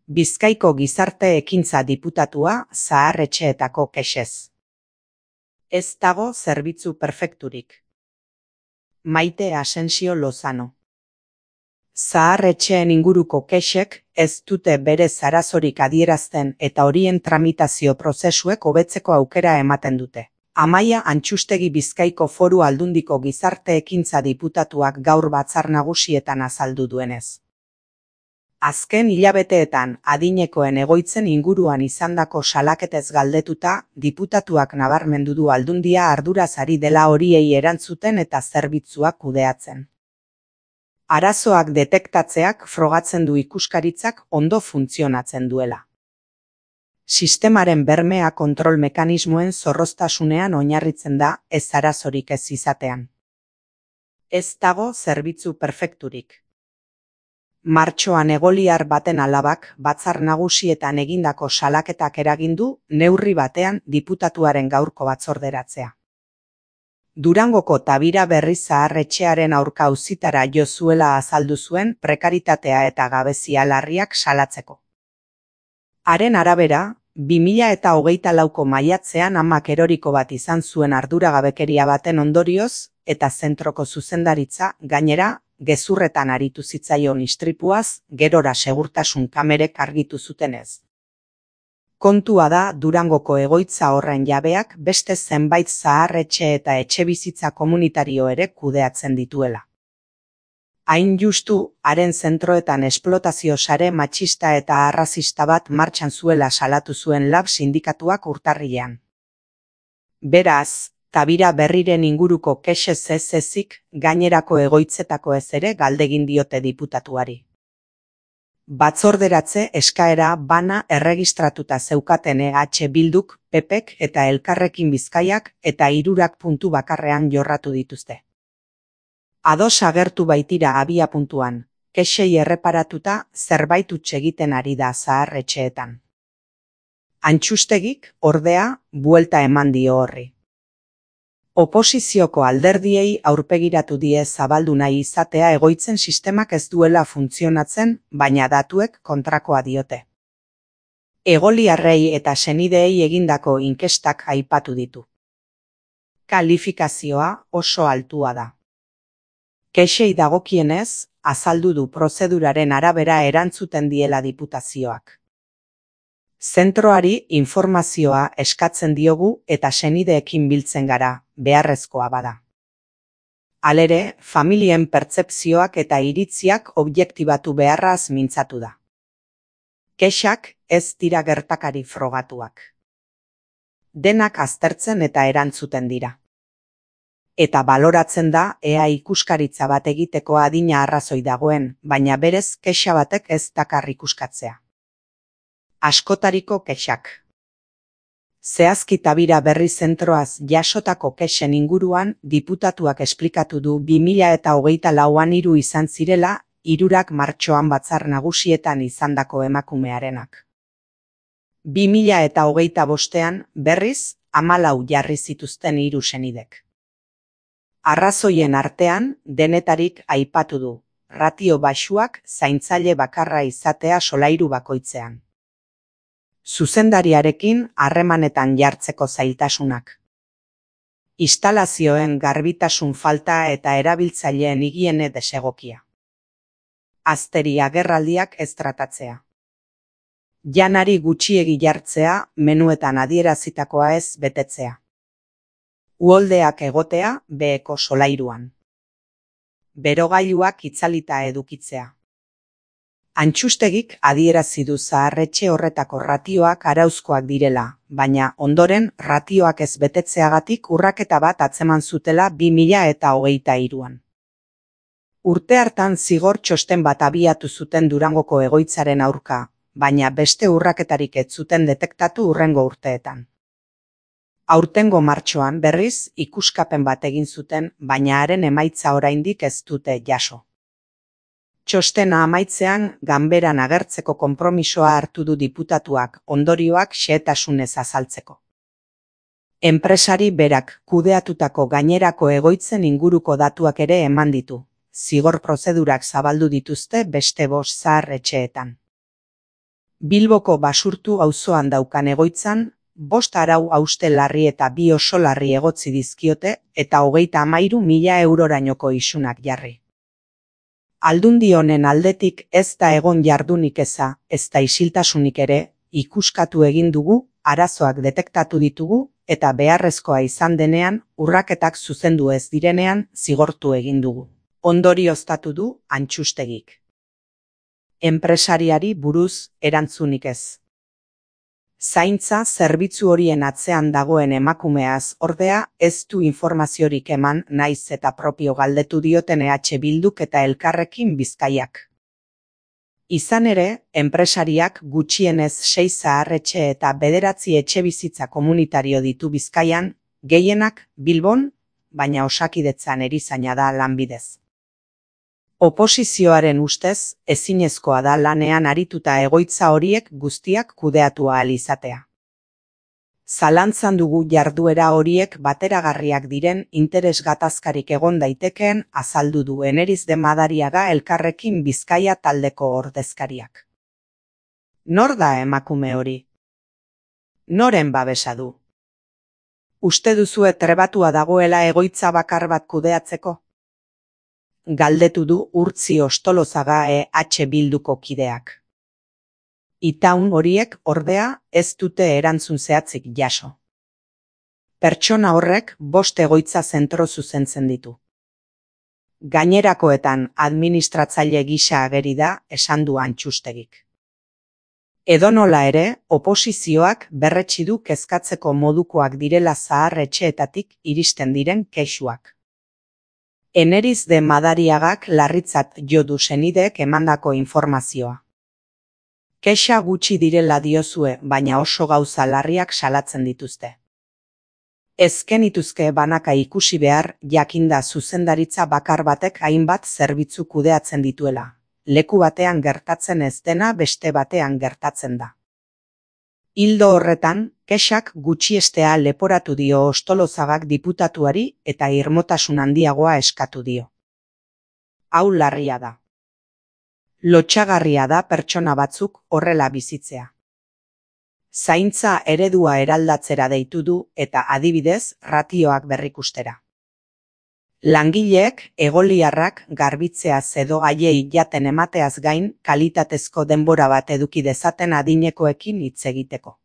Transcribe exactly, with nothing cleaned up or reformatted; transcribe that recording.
Bizkaiko Gizarte Ekintza Diputatua zahar-etxeetako kexez. Ez dago zerbitzu perfekturik. Maite Asensio Lozano. Zahar-etxeen inguruko kexek ez dute berez arazorik adierazten eta horien tramitazio prozesuek hobetzeko aukera ematen dute. Amaia Antxustegi Bizkaiko Foru Aldundiko Gizarte Ekintza Diputatuak gaur batzar nagusietan azaldu duenez. Azken hilabeteetan adinekoen egoitzen inguruan izandako salaketez galdetuta, diputatuak nabarmendu du Aldundia arduraz ari dela horiei erantzuten eta zerbitzuak kudeatzen. Arazoak detektatzeak frogatzen du ikuskaritzak ondo funtzionatzen duela. Sistemaren bermea kontrol mekanismoen zorroztasunean oinarritzen da, ez arazorik ez izatean. Ez dago zerbitzu perfekturik. Martxoan egoliar baten alabak batzar nagusietan egindako salaketak eragindu neurri batean diputatuaren gaurko batzorderatzea. Durangoko Tabira Berri zahar-etxearen aurka auzitara jo zuela azaldu zuen prekaritatea eta gabezia larriak salatzeko. Haren arabera, bi mila eta hogeita lauko maiatzean amak eroriko bat izan zuen arduragabekeria baten ondorioz eta zentroko zuzendaritza gainera gezurretan aritu zitzaion istripuaz, gerora segurtasun kamerek argitu zutenez. Kontua da Durangoko egoitza horren jabeak beste zenbait zahar-etxe eta etxebizitza komunitario ere kudeatzen dituela. Hain justu, haren zentroetan esplotazio sare matxista eta arrazista bat martxan zuela salatu zuen lab sindikatuak urtarrilean. Beraz, Tabira Berriren inguruko kexez ez ezik, gainerako egoitzetako ez ere galdegin diote diputatuari. Batzorderatze eskaera bana erregistratuta zeukaten E H Bilduk, P Pek eta Elkarrekin Bizkaiak eta hirurak puntu bakarrean jorratu dituzte. Ados agertu baitira abia puntuan, kexei erreparatuta zerbait huts egiten ari da zahar-etxeetan. Antxustegik, ordea, buelta eman dio horri. Oposizioko alderdiei aurpegiratu die zabaldu nahi izatea egoitzen sistemak ez duela funtzionatzen, baina datuek kontrakoa diote. Egoliarrei eta senideei egindako inkestak aipatu ditu. Kalifikazioa oso altua da. Kexei dagokienez, azaldu du prozeduraren arabera erantzuten diela diputazioak. Zentroari informazioa eskatzen diogu eta senideekin biltzen gara, beharrezkoa bada. Halere, familien pertzepzioak eta iritziak objektibatu beharraz mintzatu da. Kexak ez dira gertakari frogatuak. Denak aztertzen eta erantzuten dira. Eta baloratzen da ea ikuskaritza bat egiteko adina arrazoi dagoen, baina berez kexa batek ez dakar ikuskatzea. Askotariko kexak. Zehazki Tabira Berri zentroaz jasotako kexen inguruan diputatuak esplikatu du bi mila eta hogeita lauan hiru izan zirela, hirurak martxoan batzar nagusietan izandako emakumearenak. bi mila eta hogeita bostean berriz hamalau jarri zituzten hiru senidek. Arrazoien artean denetarik aipatu du, ratio baxuak zaintzaile bakarra izatea solairu bakoitzean. Zuzendariarekin harremanetan jartzeko zailtasunak. Instalazioen garbitasun falta eta erabiltzaileen higiene desegokia. Azteri agerraldiak ez tratatzea. Janari gutxiegi jartzea, menuetan adierazitakoa ez betetzea. Uholdeak egotea beheko solairuan. Berogailuak itzalita edukitzea. Antxustegik adierazi du zahar-etxe horretako ratioak arauzkoak direla, baina ondoren ratioak ez betetzeagatik urraketa bat atzeman zutela bi mila eta hogeita hiruan. Urte hartan zigor txosten bat abiatu zuten Durangoko egoitzaren aurka, baina beste urraketarik ez zuten detektatu hurrengo urteetan. Aurtengo martxoan berriz ikuskapen bat egin zuten, baina haren emaitza oraindik ez dute jaso. Txostena amaitzean ganberan agertzeko konpromisoa hartu du diputatuak ondorioak xehetasunez azaltzeko. Enpresari berak kudeatutako gainerako egoitzen inguruko datuak ere eman ditu, zigor prozedurak zabaldu dituzte beste bost zahar-etxeetan. Bilboko Basurtu auzoan daukan egoitzan, bost arau hauste larri eta bi oso larri egotzi dizkiote eta hogeita hamairu mila eurorainoko isunak jarri. Aldundi honen aldetik ez da egon jardunik eza, ez da isiltasunik ere, ikuskatu egin dugu, arazoak detektatu ditugu, eta beharrezkoa izan denean, urraketak zuzendu ez direnean, zigortu egin dugu. Ondorioztatu du Antxustegik. Enpresariari buruz erantzunik ez. Zaintza zerbitzu horien atzean dagoen emakumeaz ordea ez du informaziorik eman naiz eta propio galdetu dioten E H Bilduk eta Elkarrekin Bizkaiak. Izan ere, enpresariak gutxienez sei zaharretxe eta bederatzi etxebizitza komunitario ditu Bizkaian, gehienak Bilbon, baina Osakidetzan erizaina da lanbidez. Oposizioaren ustez, ezinezkoa da lanean arituta egoitza horiek guztiak kudeatu ahal izatea. Zalantzan dugu jarduera horiek bateragarriak diren interes gatazkarik egon daitekeen azaldu du Eneriz de Madariaga Elkarrekin Bizkaia taldeko ordezkariak. Nor da emakume hori? Noren babesa du? Uste duzue trebatua dagoela egoitza bakar bat kudeatzeko? Galdetu du Urtzi Ostolozaga E H Bilduko kideak. Itaun horiek ordea ez dute erantzun zehatzik jaso. Pertsona horrek bost egoitza zentro zuzentzen ditu. Gainerakoetan administratzaile gisa ageri da esan du Antxustegik. Edonola ere, oposizioak berretsi du kezkatzeko modukoak direla zaharretxeetatik iristen diren kexuak. Eneriz de Madariagak larritzat jo du senideek emandako informazioa. Kexa gutxi direla diozue, baina oso gauza larriak salatzen dituzte. Ezken ituzke banaka ikusi behar, jakinda zuzendaritza bakar batek hainbat zerbitzu kudeatzen dituela. Leku batean gertatzen ez dena beste batean gertatzen da. Ildo horretan, kexak gutxiestea leporatu dio Ostolozagak diputatuari eta irmotasun handiagoa eskatu dio. Hau larria da. Lotsagarria da pertsona batzuk horrela bizitzea. Zaintza eredua eraldatzera deitu du eta adibidez ratioak berrikustera. Langileek egoliarrak garbitzeaz edo haiei jaten emateaz gain kalitatezko denbora bat eduki dezaten adinekoekin hitz egiteko.